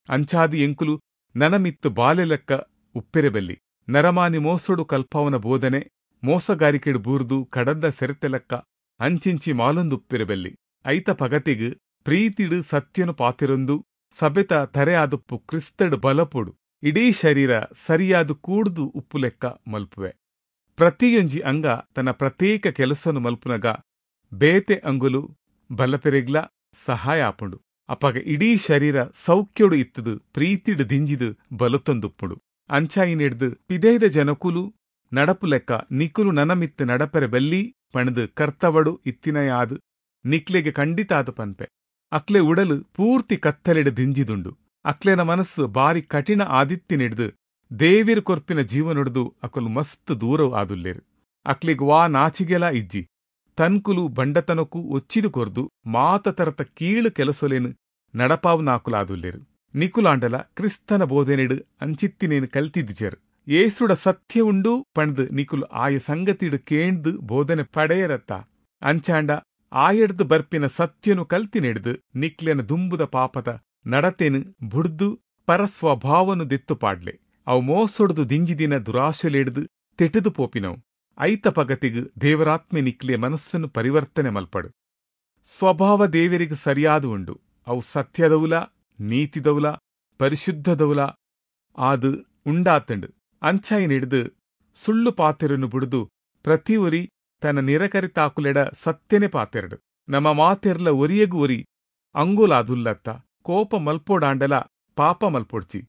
ಅಂಚಾದಿ ಎಂಕುಲು ನನಮಿತ್ತು ಬಾಲೆಲೆಕ್ಕ ಉಪ್ಪೆರೆ ಬಲ್ಲಿ. ನರಮಾನಿ ಮೋಸೊಡು ಕಲ್ಪಾವನ ಬೋಧನೆ ಮೋಸಗಾರಿಕೆಡು ಬೂರ್ದು ಕಡದ ಸೆರೆತೆಲಕ್ಕ ಅಂಚಿಂಚಿ ಮಾಲೊಂದು ಉಪ್ಪೆರೆ ಬಲ್ಲಿ. ಐತ ಪಗತಿಗ್ ಪ್ರೀತಿಡು ಸತ್ಯನು ಪಾತಿರೊಂದು ಸಭೆತ ತರೆ ಆದೊಪ್ಪು ಕ್ರಿಸ್ತಡು ಬಲಪೊಡು ಇಡೀ ಶರೀರ ಸರಿಯಾದ ಕೂಡ್ದು ಉಪ್ಪು ಲೆಕ್ಕ ಮಲ್ಪುವೆ. ಪ್ರತಿಯೊಂಜಿ ಅಂಗ ತನ್ನ ಪ್ರತ್ಯೇಕ ಕೆಲಸನು ಮಲ್ಪುನಗ ಬೇತೆ ಅಂಗುಲು ಬಲಪೆರೆಗ್ಲ ಸಹಾಯ ಆಪುಂಡು. ಅಪಗ ಇಡೀ ಶರೀರ ಸೌಖ್ಯೊಡು ಇತ್ತದು ಪ್ರೀತಿಡು ದಿಂಜಿದು ಬಲತೊಂದುಪ್ಪುಂಡು. ಅಂಚಾಯಿನೆಡ್ದು ಪಿದೈದ ಜನಕುಲು ನಡಪು ಲೆಕ್ಕ ನಿಕುಲು ನನಮಿತ್ತು ನಡಪೆರೆ ಬಲ್ಲಿ ಪಣದು ಕರ್ತವಡು ಇತ್ತಿನಯಾದು ನಿಕ್ಲೆಗೆ ಖಂಡಿತಾದ ಪನ್ಪೆ. ಅಕ್ಲೆ ಉಡಲು ಪೂರ್ತಿ ಕತ್ತಲೆಡು ದಿಂಜಿದುಂಡು. ಅಕ್ಲೆನ ಮನಸ್ಸು ಬಾರಿ ಕಠಿಣ ಆದಿತ್ತಿನೆಡ್ದು ದೇವಿರು ಕೊರ್ಪಿನ ಜೀವನೊಡ್ದು ಅಕಲು ಮಸ್ತ್ ದೂರ ಆದುಲ್ಲೇರು. ಅಕ್ಲೆಗ್ ವಾ ನಾಚಿಗೆಲ ಇಜ್ಜಿ. ತನ್ಕುಲು ಬಂಡತನಕ್ಕೂ ಒಚ್ಚಿದು ಕೊರ್ದು ಮಾತ ತರತ ಕೀಳು ಕೆಲಸೊಲೇನು ನಡಪಾವುನಾಕುಲಾದುಲ್ಲೇರು. ನಿಕುಲಾಂಡಲ ಕ್ರಿಸ್ತನ ಬೋಧನೆಡು ಅಂಚಿತ್ತಿನೇನು ಕಲ್ತಿದ್ದಿಜರು. ಏಸುಡ ಸತ್ಯ ಉಂಡು ಪಣ್ದು ನಿಕುಲು ಆಯ ಸಂಗತಿಡು ಕೇಂದು ಬೋಧನೆ ಪಡೆಯರತ್ತ. ಅಂಚಾಂಡ ಆಯಡ್ದು ಬರ್ಪಿನ ಸತ್ಯನು ಕಲ್ತಿನೆಡ್ದು ನಿಕ್ಲೆನ ದುಂಬುದ ಪಾಪದ ನಡತೆನು ಬುಡ್ದು ಪರಸ್ವಭಾವನು ದೆತ್ತು ಪಾಡ್ಲೆ. ಅವು ಮೋಸೊಡ್ದು ದಿಂಜಿದಿನ ದುರಾಶೆಲೆಡ್ದು ತೆಟುದು ಪೋಪಿನವು. ಐತ ಪಗತಿಗ್ ದೇವರಾತ್ಮೆ ನಿಕ್ಲೆ ಮನಸ್ಸನ್ನು ಪರಿವರ್ತನೆ ಮಲ್ಪಡು. ಸ್ವಭಾವ ದೇವರಿಗೆ ಸರಿಯಾದ ಉಂಡು. ಅವು ಸತ್ಯದೌಲ ನೀತಿದೌಲ ಪರಿಶುದ್ಧದೌಲ ಆದು ಉಂಡಾತಂಡು. ಅಂಚಾಯಿನೆಡ್ದು ಸುಳ್ಳು ಪಾತೆರನ್ನು ಬುಡ್ದು ಪ್ರತಿ ಒರಿ ತನ್ನ ನಿರಕರಿತಾಕುಲೆಡ ಸತ್ಯನೆ ಪಾತೆರಡು. ನಮ್ಮ ಮಾತೆರ್ಲ ಒರಿಯಗು ಒರಿ ಅಂಗುಲಾದುಲ್ಲತ್ತ. ಕೋಪ ಮಲ್ಪೋಡಾಂಡಲ ಪಾಪ ಮಲ್ಪೊಡ್ಚಿ.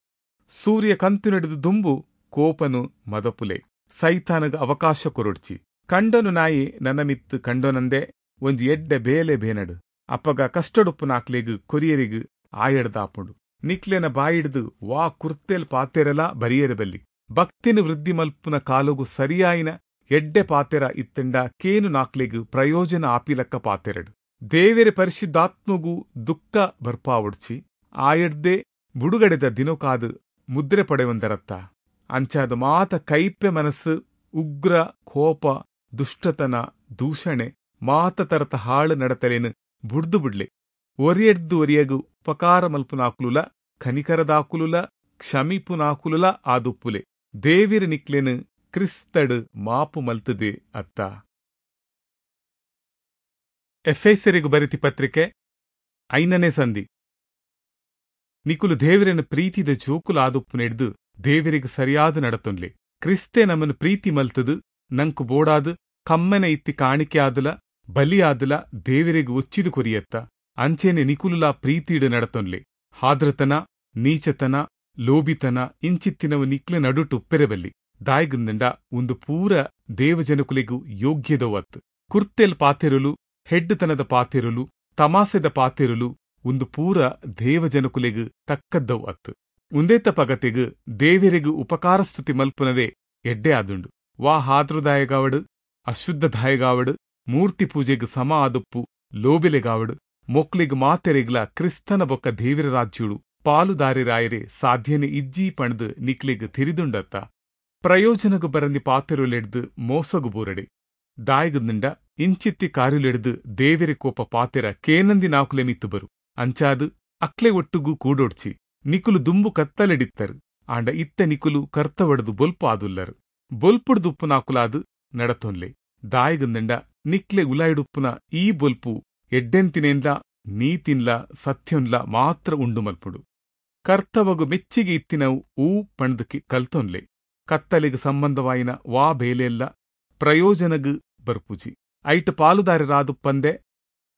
ಸೂರ್ಯ ಕಂತು ನಡೆದು ದುಂಬು ಕೋಪನು ಮದಪುಲೆ. ಸೈತಾನಗ ಅವಕಾಶ ಕೊರೊಡ್ಚಿ. ಕಂಡನು ನಾಯಿ ನನ್ನ ಮಿತ್ತು ಕಂಡೋನಂದೆ ಒಂಜಿ ಎಡ್ಡೆ ಬೇಲೆ ಬೇನಡು. ಅಪ್ಪಗ ಕಷ್ಟಡುಪ್ಪು ನಾಕ್ಲೆಗ್ ಕೊರಿಯರಿಗ್ ಆಯಡ್ದಾಪುಂಡು. ನಿಕ್ಲೆನ ಬಾಯಿಡ್ದು ವಾ ಕುರ್ತೆಲ್ ಪಾತೆರಲ ಬರಿಯರೆ ಬಲ್ಲಿ. ಭಕ್ತಿನ ವೃದ್ಧಿ ಮಲ್ಪುನ ಕಾಲುಗು ಸರಿಯಾಯಿನ ಎಡ್ಡೆ ಪಾತೆರ ಇತ್ತಂಡ ಕೇನು ನಾಕ್ಲೆಗ್ ಪ್ರಯೋಜನ ಆಪಿಲಕ್ಕ ಪಾತೆರಡು. ದೇವೆರೆ ಪರಿಶುದ್ಧಾತ್ಮಗು ದುಃಖ ಬರ್ಪಾವೊಡ್ಚಿ ಆಯಡ್ದೆ ಬುಡುಗಡೆದ ದಿನೊಕಾದ್ ಮುದ್ರೆ ಪಡೆವಂದರತ್ತ. ಅಂಚಾದ ಮಾತ ಕೈಪೆ ಮನಸ್ಸು, ಉಗ್ರ ಕೋಪ, ದುಷ್ಟತನ, ದೂಷಣೆ ಮಾತ ತರತ ಹಾಳು ನಡತಲೇನು ಬುಡ್ದು ಬುಡ್ಲೆ. ಒರಿಯಡ್ದು ಒರಿಯಗು ಉಪಕಾರ ಮಲ್ಪುನಾಕುಲುಲ ಕನಿಕರದಾಕುಲುಲ ಕ್ಷಮಿಪುನಾಕುಲುಲ ಆದುಪ್ಪುಲೆ. ದೇವಿರ ನಿಕ್ಲೆನು ಕ್ರಿಸ್ತಡು ಮಾಪು ಮಲ್ತದೆ ಅತ್ತ. ಎಫೆಸರಿಗು ಬರಿತಿ ಪತ್ರಿಕೆ ಐನನೇ ಸಂಧಿ. ನಿಕುಲು ದೇವರನ ಪ್ರೀತಿದ ಜೋಕುಲು ಆದುಪ್ಪುನೆಡ್ದು ದೇವರಿಗೆ ಸರಿಯಾದ ನಡತೊನ್ಲೆ. ಕ್ರಿಸ್ತೆ ನಮ್ಮನ್ನು ಪ್ರೀತಿ ಮಲ್ತದು ನಂಕು ಬೋಡಾದು ಕಮ್ಮನೆ ಇತ್ತಿ ಕಾಣಿಕೆ ಆದುಲ ಬಲಿಯಾದುಲ ದೇವರಿಗೆ ಒಚ್ಚಿದು ಕೊರಿಯತ್ತ. ಅಂಚೆನೆ ನಿಕುಲುಲ ಪ್ರೀತಿಡು ನಡತೊನ್ಲೆ. ಹಾದ್ರತನ, ನೀಚತನ, ಲೋಬಿತನ ಇಂಚಿತ್ತಿನವು ನಿಕ್ಲೆ ನಡುಟು ಉಪ್ಪೆರೆಬಲ್ಲಿ. ದಾಯ್ಗುಂದಂಡ ಒಂದು ಪೂರ ದೇವಜನಕುಲೆಗು ಯೋಗ್ಯದವತ್ತು. ಕುರ್ತೆಲ್ ಪಾತೆರುಲು, ಹೆಡ್ಡುತನದ ಪಾತೆರುಲು, ತಮಾಸೆದ ಪಾತೆರುಲು ಒಂದು ಪೂರ ದೇವಜನಕುಲೆಗು ತಕ್ಕದ್ದವು ಅತ್ತು. ಉಂದೇತ ಪಗತೆಗು ದೇವರಿಗು ಉಪಕಾರಸ್ತುತಿ ಮಲ್ಪುನವೇ ಎಡ್ಡೆ ಆದುಂಡು. ವಾ ಹಾದ್ರದಾಯಗಾವಡು, ಅಶುದ್ಧದಾಯಗಾವಡು, ಮೂರ್ತಿ ಪೂಜೆಗು ಸಮ ಆದುಪ್ಪು ಲೋಬಿಲೆಗಾವಡು ಮೊಕ್ಲಿಗ್ ಮಾತೆರೆಗ್ಲ ಕ್ರಿಸ್ತನ ಬೊಕ್ಕ ದೇವಿರ ರಾಜ್ಯುಡು ಪಾಲುದಾರಿರಾಯರೆ ಸಾಧ್ಯನೆ ಇಜ್ಜಿ ಪಣ್ದು ನಿಕ್ಲೆಗ್ ತಿರಿದುಂಡತ್ತ. ಪ್ರಯೋಜನಗು ಬರಂದಿ ಪಾತೆರುಲೆಡ್ದು ಮೋಸಗು ಬೂರಡೆ. ದಾಯ್ಗುಂಡ ಇಂಚಿತ್ತಿ ಕಾರ್ಯುಲೆಡ್ದು ದೇವೆರೆ ಕೋಪ ಪಾತೆರ ಕೇನಂದಿ ನಾಕುಲೆ ಮಿತ್ತು ಬರು. ಅಂಚಾದು ಅಕ್ಲೆ ಒಟ್ಟುಗು ಕೂಡೊಡ್ಚಿ. ನಿಕುಲು ದುಂಬು ಕತ್ತಲೆಡಿತ್ತರು, ಆಂಡ ಇತ್ತ ನಿಕುಲು ಕರ್ತವಡ್ದು ಬೊಲ್ಪು ಆದುಲ್ಲರು. ಬೊಲ್ಪುಡ್ದುಪ್ಪು ನಾಕುಲಾದು ನಡತೊನ್ಲೆ. ದಾಯ್ಗುಂಡ ನಿಕ್ಲೆ ಉಲಾಯಿಡುಪ್ಪುನ ಈ ಬೊಲ್ಪು ಎಡ್ಡೆಂತಿನೇನ್ಲ ನೀತಿನ್ಲ ಸತ್ಯನ್ಲ ಮಾತ್ರ ಉಂಡು ಮಲ್ಪುಡು. ಕರ್ತವಗು ಮೆಚ್ಚಿಗೆ ಇತ್ತಿನವು ಊ ಪಣ್ದಕ್ಕೆ ಕಲ್ತೊನ್ಲೆ. ಕತ್ತಲೆಗ್ ಸಂಬಂಧವಾಯಿನ ವಾ ಬೇಲೆಲ್ಲ ಪ್ರಯೋಜನಗು ಬರ್ಪುಜಿ. ಐಟ್ ಪಾಲುದಾರರಾದುಪ್ಪಂದೆ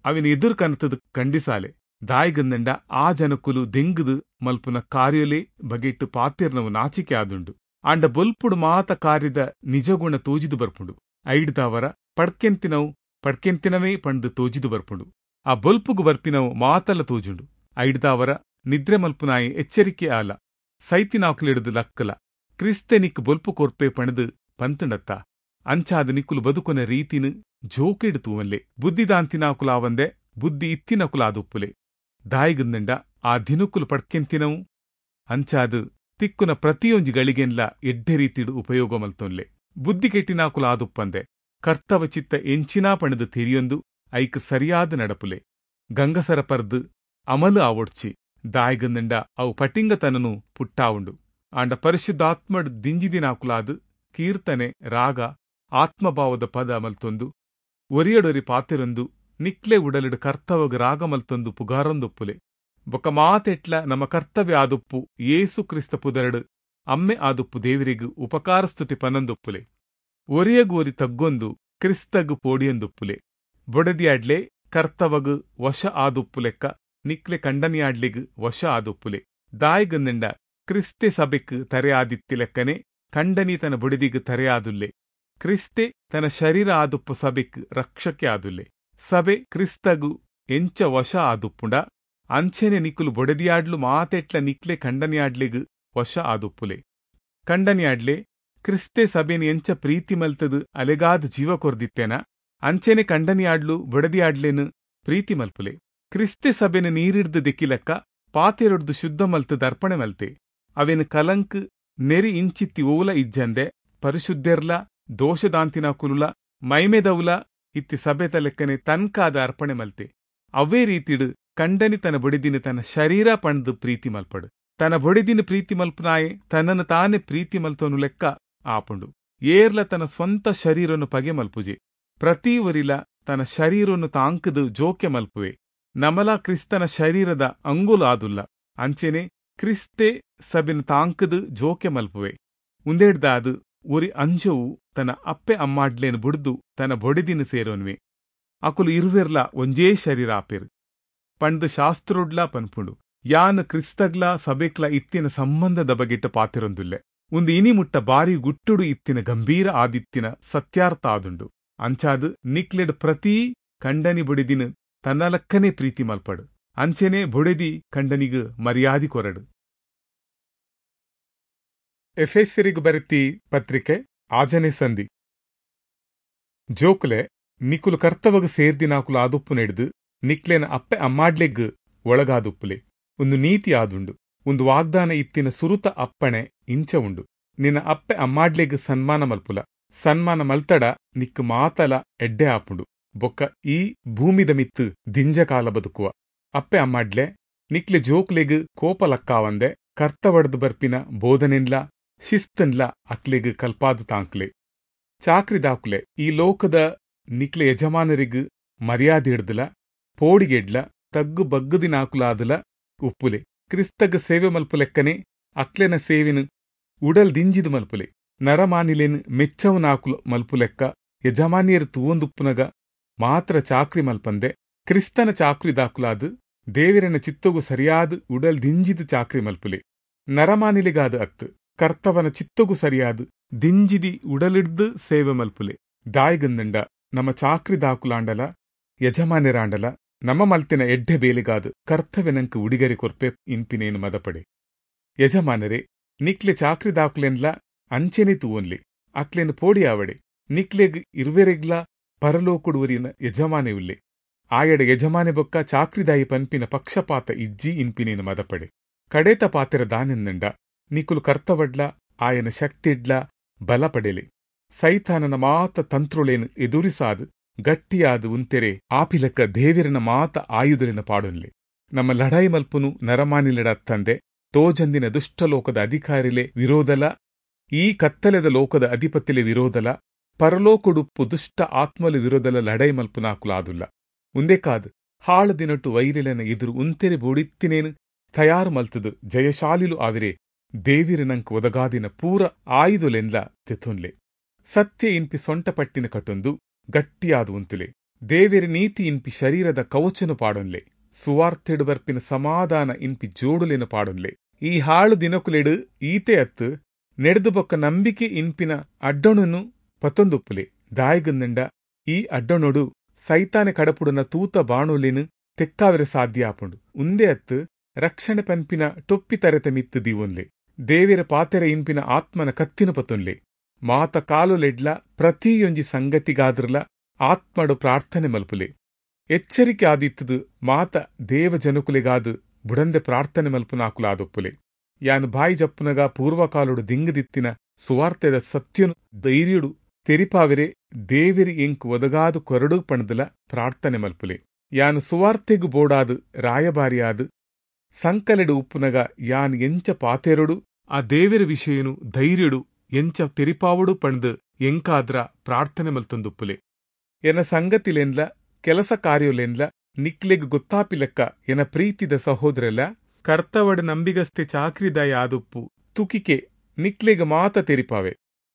ಅವಿನ ಎದುರು ಕನತದ ಖಂಡಿಸಾಲೆ. ದಾಯ್ಗಂದಂಡ ಆ ಜನಕುಲು ದೆಂಗುದು ಮಲ್ಪುನ ಕಾರ್ಯಲೇ ಬಗೆಟ್ಟು ಪಾತಿರ್ನವು ನಾಚಿಕೆ ಆದುಂಡು. ಆಂಡ ಬೊಲ್ಪುಡು ಮಾತ ಕಾರ್ಯದ ನಿಜಗುಣ ತೋಜಿದು ಬರ್ಪುಂಡು. ಐಡ್ದಾವರ ಪಡ್ಕೆಂತಿನವು ಪಡ್ಕೆಂತಿನವೇ ಪಂಡು ತೋಜಿದು ಬರ್ಪುಂಡು. ಆ ಬೊಲ್ಪುಗು ಬರ್ಪಿನವು ಮಾತಲ ತೋಜುಂಡು. ಐಡ್ದಾವರ ನಿದ್ರೆ ಮಲ್ಪುನಾಯಿ ಎಚ್ಚರಿಕೆ ಆಲ, ಸೈತಿನಾಕುಲಿಡ್ದು ಲಕ್ಕಲ. ಕ್ರಿಸ್ತೆ ನಿಕ್ ಬೊಲ್ಪು ಕೊರ್ಪೆ ಪಣದು ಪಂತುಂಡತ್ತ. ಅಂಚಾದ ನಿಕ್ಕುಲು ಬದುಕೊನ ರೀತಿನು ಜೋಕೆಡು ತೂವನ್ಲೆ. ಬುದ್ಧಿದಾಂತಿನಾಕುಲಾವಂದೆ ಬುದ್ಧಿ ಇತ್ತಿನಕುಲಾದುಪ್ಪುಲೆ. ದಾಯಿಗುಂದಂಡ ಆ ದಿನಕ್ಕುಲು ಪಡ್ಕೆಂತಿನವು ಅಂಚಾದು ತಿಕ್ಕುನ ಪ್ರತಿಯೊಂಜಿ ಗಳಿಗೆನ್ಲ ಎಡ್ಡೆ ರೀತಿಡು ಉಪಯೋಗ ಮಲ್ತೊನ್ಲೆ. ಬುದ್ಧಿ ಕೆಟ್ಟಿನಾಕುಲಾದುಪ್ಪಂದೆ ಕರ್ತವ ಚಿತ್ತ ಎಂಚಿನಾ ಪಣದು ತಿರಿಯೊಂದು ಐಕ್ ಸರಿಯಾದ ನಡಪುಲೆ. ಗಂಗಸರ ಪರ್ದು ಅಮಲು ಆವೊಡ್ಚಿ. ದಾಯಿಗುಂದಂಡ ಅವು ಪಟಿಂಗತನನು ಪುಟ್ಟಾವುಂಡು. ಆಂಡ ಪರಿಶುದ್ಧಾತ್ಮಡ್ ದಿಂಜಿದಿನಾಕುಲಾದು ಕೀರ್ತನೆ, ರಾಗ, ಆತ್ಮಭಾವದ ಪದ ಮಲ್ತೊಂದು ಒರಿಯಡೊರಿ ಪಾತಿರೊಂದು ನಿಕ್ಲೆ ಉಡಲಿಡು ಕರ್ತವಗ ರಾಗ ಮಲ್ತೊಂದು ಪುಗಾರೊಂದೊಪ್ಪುಲೆ. ಬೊಕ ಮಾತೆಟ್ಲ ನಮ್ಮ ಕರ್ತವ್ಯ ಆದುಪ್ಪು ಯೇಸು ಕ್ರಿಸ್ತ ಪುದರಡು ಅಮ್ಮೆ ಆದುಪ್ಪು ದೇವರಿಗು ಉಪಕಾರಸ್ತುತಿ ಪನೊಂದೊಪ್ಪುಲೆ. ಒರಿಯಗೋರಿ ತಗ್ಗೊಂದು ಕ್ರಿಸ್ತಗು ಪೋಡಿಯೊಂದೊಪ್ಪುಲೆ. ಬೊಡದಿಯಾಡ್ಲೆ ಕರ್ತವಗು ವಶ ಆದುಪ್ಪು ಲೆಕ್ಕ ನಿಕ್ಲೆ ಕಂಡನಿಯಾಡ್ಲಿಗು ವಶ ಆದುಪ್ಪುಲೆ. ದಾಯಿಗಂದಂಡ ಕ್ರಿಸ್ತೆ ಸಭೆಕ್ ತರೆಯಾದಿತ್ತಿ ಲೆಕ್ಕನೆ ಕಂಡನಿ ತನ್ನ ಬೊಡೆದಿಗು ತರೆಯಾದುಲ್ಲೆ. ಕ್ರಿಸ್ತೆ ತನ್ನ ಶರೀರ ಆದುಪ್ಪು ಸಭೆಕ್ ರಕ್ಷಕೆ ಆದುಲ್ಲೆ. ಸಭೆ ಕ್ರಿಸ್ತಗು ಎಂಚ ವಶ ಆದುಪ್ಪುಂಡ ಅಂಚೆನೆ ನಿಕ್ಕುಲು ಬೊಡೆದಿಯಾಡ್ಲು ಮಾತೆಟ್ಲ ನಿಕ್ಲೆ ಕಂಡನಿಯಾಡ್ಲಿಗು ವಶ ಆದುಪ್ಪುಲೆ. ಕಂಡನಿಯಾಡ್ಲೆ ಕ್ರಿಸ್ತೆ ಸಭೆನ ಎಂಚ ಪ್ರೀತಿ ಮಲ್ತದು ಅಲೆಗಾದ ಜೀವ ಕೊರ್ದಿತ್ತೇನ ಅಂಚೆನೆ ಕಂಡನಿಯಾಡ್ಲು ಬೊಡೆದಿಯಾಡ್ಲೇನು ಪ್ರೀತಿ ಮಲ್ಪುಲೆ. ಕ್ರಿಸ್ತೆ ಸಭೆನ ನೀರಿಡ್ದು ದೆಕ್ಕಿಲೆಕ್ಕ ಪಾತೆರೊಡ್ದು ಶುದ್ಧ ಮಲ್ತದ ಅರ್ಪಣೆ ಮಲ್ತೆ. ಅವೇನು ಕಲಂಕ್ ನೆರಿ ಇಂಚಿತ್ತಿ ಓಲ ಇಜ್ಜಂದೆ ಪರಿಶುದ್ಧೆರ್ಲ ದೋಷದಾಂತಿನ ಕುಲುಲ ಮೈಮೆದವುಲ ಇತ್ತಿ ಸಭೆತ ಲೆಕ್ಕನೆ ತನ್ಕಾದ ಅರ್ಪಣೆ ಮಲ್ತೆ. ಅವೇ ರೀತಿಡು ಕಂಡನಿ ತನ್ನ ಬೊಡೆದಿನ ತನ್ನ ಶರೀರ ಪಣ್ದು ಪ್ರೀತಿ ಮಲ್ಪಡು. ತನ್ನ ಬೊಡೆದಿನ ಪ್ರೀತಿ ಮಲ್ಪನಾಯೆ ತನ್ನನ್ನು ತಾನೇ ಪ್ರೀತಿ ಮಲ್ತೋನು ಲೆಕ್ಕ ಆಪುಂಡು. ಏರ್ಲ ತನ್ನ ಸ್ವಂತ ಶರೀರನ್ನು ಪಗೆ ಮಲ್ಪುಜೆ. ಪ್ರತಿ ಒರಿಲ ತನ್ನ ಶರೀರನ್ನು ತಾಂಕದು ಜೋಕೆ ಮಲ್ಪುವೆ. ನಮಲ ಕ್ರಿಸ್ತನ ಶರೀರದ ಅಂಗುಲು ಆದುಲ್ಲ. ಅಂಚೆನೆ ಕ್ರಿಸ್ತೆ ಸಬಿನ ತಾಂಕದು ಜೋಕೆ ಮಲ್ಪುವೆ. ಉಂದೇಡ್ದಾದು ಒರಿ ಅಂಜವು ತನ್ನ ಅಪ್ಪೆ ಅಮ್ಮಾಡ್ಲೇನು ಬುಡ್ದು ತನ್ನ ಬೊಡೆದಿನ ಸೇರೋನ್ವೆ. ಅಕುಲು ಇರುವೆರ್ಲ ಒಂಜೇ ಶರೀರ ಆಪೆರು ಪಂಡ್ ಶಾಸ್ತ್ರೋಡ್ಲಾ ಪನ್ಪುಂಡು. ಯಾನ್ ಕ್ರಿಸ್ತಗ್ಲಾ ಸಭೆಕ್ಲಾ ಇತ್ತಿನ ಸಂಬಂಧದ ಬಗೆಟ್ ಪಾತಿರೊಂದುಲ್ಲೆ. ಒಂದು ಇನಿ ಮುಟ್ಟ ಬಾರಿ ಗುಟ್ಟುಡು ಇತ್ತಿನ ಗಂಭೀರ ಆದಿತ್ತಿನ ಸತ್ಯಾರ್ಥ ಆದುಂಡು. ಅಂಚಾದು ನಿಕ್ಲೆಡ್ ಪ್ರತಿ ಕಂಡನಿ ಬೊಡೆದಿನ ತನ್ನಲಕ್ಕನೆ ಪ್ರೀತಿ ಮಲ್ಪಡು. ಅಂಚೆನೆ ಬೊಡೆದಿ ಕಂಡನಿಗು ಮರ್ಯಾದಿ ಕೊರಡು. ಎಫೆಸರಿಗು ಬರೆತಿ ಪತ್ರಿಕೆ ಆಜನೇ ಸಂಧಿ. ಜೋಕುಲೆ, ನಿಕುಲು ಕರ್ತವಗ್ ಸೇರ್ದಿನಾಕುಲು ಆದುಪ್ಪುನೆಡ್ದ್ ನಿಕ್ಲೆನ ಅಪ್ಪೆ ಅಮ್ಮಾಡ್ಲೆಗ್ ಒಳಗಾದುಪ್ಪುಲೆ. ಒಂದು ನೀತಿ ಆದುಂಡು. ಒಂದು ವಾಗ್ದಾನ ಇತ್ತಿನ ಸುರುತ ಅಪ್ಪಣೆ ಇಂಚ ಉಂಡು, ನಿನ್ನ ಅಪ್ಪೆ ಅಮ್ಮಾಡ್ಲೆಗ್ ಸನ್ಮಾನ ಮಲ್ಪುಲ, ಸನ್ಮಾನ ಮಲ್ತಡ ನಿಕ್ಕು ಮಾತಲ ಎಡ್ಡೆ ಆಪುಂಡು, ಬೊಕ್ಕ ಈ ಭೂಮಿದ ಮಿತ್ತು ದಿಂಜಕಾಲ ಬದುಕುವ. ಅಪ್ಪೆ ಅಮ್ಮಾಡ್ಲೆ, ನಿಕ್ಲೆ ಜೋಕ್ಲೆಗ್ ಕೋಪ ಲಕ್ಕಾವಂದೆ ಕರ್ತವಡ್ದು ಬರ್ಪಿನ ಬೋಧನೆನ್ಲ ಶಿಸ್ತನ್ಲ ಅಕ್ಲೆಗ್ ಕಲ್ಪಾದ ತಾಂಕ್ಲೆ. ಚಾಕ್ರಿದಾಕುಲೆ, ಈ ಲೋಕದ ನಿಕ್ಲೆ ಯಜಮಾನರಿಗ್ ಮರ್ಯಾದೆ ಹಿಡ್ದಲ ಪೋಡಿಗೆಡ್ಲ ತಗ್ಗು ಬಗ್ಗುದಿನಾಕುಲಾದಲ ಉಪ್ಪುಲೆ. ಕ್ರಿಸ್ತಗ್ ಸೇವೆ ಮಲ್ಪುಲೆಕ್ಕನೆ ಅಕ್ಲೆನ ಸೇವೆನು ಉಡಲ್ ದಿಂಜಿದು ಮಲ್ಪುಲೆ. ನರಮಾನಿಲೇನು ಮೆಚ್ಚವನಾಕುಲು ಮಲ್ಪುಲೆಕ್ಕ ಯಜಮಾನಿಯರು ತೂವೊಂದುಪ್ಪುನಗ ಮಾತ್ರ ಚಾಕ್ರಿ ಮಲ್ಪಂದೆ ಕ್ರಿಸ್ತನ ಚಾಕ್ರಿದಾಕುಲಾದು ದೇವರನ ಚಿತ್ತೊಗು ಸರಿಯಾದ ಉಡಲ್ ದಿಂಜಿದು ಚಾಕ್ರಿ ಮಲ್ಪುಲೆ. ನರಮಾನಿಲಿಗಾದ ಅತ್ತು ಕರ್ತವನ ಚಿತ್ತೊಗು ಸರಿಯಾದ ದಿಂಜಿದಿ ಉಡಲಿಡ್ದು ಸೇವೆ ಮಲ್ಪುಲೆ. ದಾಯಿಗಂದಂಡ ನಮ್ಮ ಚಾಕ್ರಿದಾಕುಲಾಂಡಲ ಯಜಮಾನ್ಯರಾಂಡಲ ನಮ್ಮ ಮಲ್ತಿನ ಎಡ್ಡೆ ಬೇಲಿಗಾದು ಕರ್ತವ್ಯನಂಕ್ ಉಡಿಗರಿ ಕೊರ್ಪೆ ಇನ್ಪಿನೇನು ಮದಪಡೆ. ಯಜಮಾನರೇ, ನಿಕ್ಲೆ ಚಾಕ್ರಿದಾಕುಲೆನ್ಲ ಅಂಚೆನೆ ತೂವೊನ್ಲಿ, ಅಕ್ಲೆನ್ ಪೋಡಿಯಾವಡೆ. ನಿಕ್ಲೆಗ್ ಇರ್ವೆರೆಗ್ಲ ಪರಲೋಕುಡುವರಿನ ಯಜಮಾನೆ ಉಲ್ಲೆ. ಆಯಡ ಯಜಮಾನೆ ಬೊಕ್ಕ ಚಾಕ್ರಿದಾಯಿ ಪನ್ಪಿನ ಪಕ್ಷಪಾತ ಇಜ್ಜಿ ಇನ್ಪಿನೇನು ಮದಪಡೆ. ಕಡೇತ ಪಾತೆರ ದಾನೆಂದಂಡ ನಿಕುಲು ಕರ್ತವಡ್ಲ ಆಯನ ಶಕ್ತಿಡ್ಲ ಬಲ ಪಡೆಲೆ. ಸೈತಾನನ ಮಾತ ತಂತ್ರುಲೇನು ಎದುರಿಸಾದು ಗಟ್ಟಿಯಾದ ಉಂತೆರೆ ಆಪಿಲಕ್ಕ ದೇವಿರನ ಮಾತ ಆಯುಧಲಿನ ಪಾಡೊನ್ಲೆ. ನಮ್ಮ ಲಡಾಯಿ ಮಲ್ಪುನು ನರಮಾನಿಲೆಡ ತಂದೆ ತೋಜಂದಿನ ದುಷ್ಟಲೋಕದ ಅಧಿಕಾರಿಲೆ ವಿರೋಧಲ, ಈ ಕತ್ತಲೆದ ಲೋಕದ ಅಧಿಪತಿಲೆ ವಿರೋಧಲ, ಪರಲೋಕುಡುಪ್ಪು ದುಷ್ಟ ಆತ್ಮಲು ವಿರೋಧಲ ಲಡಾಯಿ ಮಲ್ಪುನಾಕುಲಾದುಲ್ಲ. ಉಂದೆಕಾದ್ ಹಾಳು ದಿನಟು ವೈರಿಲೆನ ಎದುರು ಉಂತೆರೆ ಬೋಡಿತ್ತಿನೇನು ತಯಾರು ಮಲ್ತದು ಜಯಶಾಲಿಲು ಆವಿರೆ ದೇವಿರನಂಕ್ ಒದಗಾದಿನ ಪೂರ ಆಯುಧಲೆನ್ಲ ತೆಥೊನ್ಲೆ. ಸತ್ಯ ಇನ್ಪಿ ಸೊಂಟಪಟ್ಟಿನ ಕಟೊಂದು ಗಟ್ಟಿಯಾದ ಉಂತುಲೆ. ದೇವಿರ ನೀತಿ ಇನ್ಪಿ ಶರೀರದ ಕವಚನು ಪಾಡೊನ್ಲೆ. ಸುವಾರ್ತೆಡು ಬರ್ಪಿನ ಸಮಾಧಾನ ಇನ್ಪಿ ಜೋಡುಲೆನು ಪಾಡೊನ್ಲೆ. ಈ ಹಾಳು ದಿನಕುಲೆಡು ಈತೆ ಅತ್ತು ನೆಡ್ದು ಬೊಕ್ಕ ನಂಬಿಕೆ ಇನ್ಪಿನ ಅಡ್ಡೊಣನು ಪತ್ತೊಂದುಪ್ಪುಲೆ. ದಾಯಿಗಂದಂಡ ಈ ಅಡ್ಡೊಣೊಡು ಸೈತಾನೆ ಕಡಪುಡುನ ತೂತ ಬಾಣುಲೆನು ತೆಕ್ಕಾವಿರ ಸಾಧ್ಯ ಆಪುಂಡು. ಉಂದೆ ಅತ್ತು ರಕ್ಷಣೆ ಪನ್ಪಿನ ಟೊಪ್ಪಿ ತರೆತ ಮಿತ್ತು ದೀವೊನ್ಲೆ. ದೇವಿರ ಪಾತೆರ ಇನ್ಪಿನ ಆತ್ಮನ ಕತ್ತಿನ ಪತ್ತೊನ್ಲೆ. ಮಾತ ಕಾಲುಲೆಡ್ಲ ಪ್ರತಿಯೊಂಜಿ ಸಂಗತಿಗಾದ್ರಲ ಆತ್ಮಡು ಪ್ರಾರ್ಥನೆ ಮಲ್ಪುಲೆ. ಎಚ್ಚರಿಕೆ ಆದಿತ್ತದು ಮಾತ ದೇವಜನಕುಲೆಗಾದು ಬುಡಂದೆ ಪ್ರಾರ್ಥನೆ ಮಲ್ಪುನಾಕುಲಾದೊಪ್ಪುಲೆ. ಯಾನು ಬಾಯಿ ಜಪ್ಪುನಗ ಪೂರ್ವಕಾಲುಡು ದಿಂಗದಿತ್ತಿನ ಸುವಾರ್ತೆದ ಸತ್ಯನು ಧೈರ್ಯುಡು ತೆರಿಪಾವಿರೆ ದೇವಿರಿ ಎಂಕ್ ಒದಗಾದು ಕೊರಡು ಪಣದಲ ಪ್ರಾರ್ಥನೆ ಮಲ್ಪುಲೆ. ಯಾನು ಸುವಾರ್ತೆಗು ಬೋಡಾದು ರಾಯಭಾರಿಯಾದು ಸಂಕಲೆಡು ಉಪ್ಪುನಗ ಯಾನ್ ಎಂಚ ಪಾತೆರೊಡು ಆ ದೇವಿರ ವಿಷಯನು ಧೈರ್ಯುಡು ಎಂಚ ತೆರಿಪಾವಡು ಪಣದು ಎಂಕಾದ್ರ ಪ್ರಾರ್ಥನೆ ಮಲ್ತೊಂದುಪ್ಪುಲೆ. ಎನ ಸಂಗತಿಲೆನ್ಲ ಕೆಲಸ ಕಾರ್ಯಲೆನ್ಲ ನಿಕ್ಲೆಗ್ ಗೊತ್ತಾಪಿಲೆಕ್ಕ ಎನ ಪ್ರೀತಿದ ಸಹೋದರಲ ಕರ್ತವಡ ನಂಬಿಗಸ್ತೆ ಚಾಕ್ರಿದಾಯ ಆದುಪ್ಪು ತುಕಿಕೆ ನಿಕ್ಲೆಗ್ ಮಾತ ತೆರಿಪಾವೆ.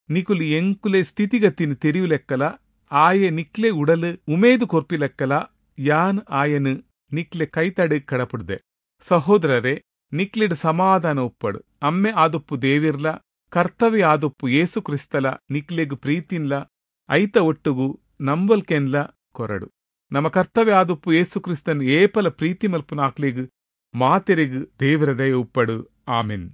ನಿಕುಲು ಎಂಕುಲೆ ಸ್ಥಿತಿಗತಿನ ತೆರಿಯುಲೆಕ್ಕಲ ಆಯೆ ನಿಕ್ಲೆ ಉಡಲು ಉಮೇದು ಕೊರ್ಪಿಲೆಕ್ಕಲ ಯಾನ್ ಆಯನು ನಿಕ್ಲೆ ಕೈತಡೆ ಕಡಪುಡ್ದೆ. ಸಹೋದರರೇ, ನಿಕ್ಲೆಡ್ ಸಮಾಧಾನ ಉಪ್ಪಡು. ಅಮ್ಮೆ ಆದುಪ್ಪು ದೇವಿರ್ಲ ಕರ್ತವ್ಯ ಆದುಪ್ಪು ಯೇಸು ಕ್ರಿಸ್ತಲ ನಿಕ್ಲೆಗ್ ಪ್ರೀತಿನ್ಲ ಐತ ಒಟ್ಟುಗು ನಂಬಲ್ಕೆನ್ಲ ಕೊರಡು. ನಮ್ಮ ಕರ್ತವ್ಯ ಆದುಪ್ಪು ಯೇಸು ಕ್ರಿಸ್ತನ್ ಏಪಲ ಪ್ರೀತಿ ಮಲ್ಪುನಾಕ್ಲೆಗ್ ಮಾತೆರೆಗ್ ದೇವರ ದಯ ಉಪ್ಪಡು. ಆಮೆನ್.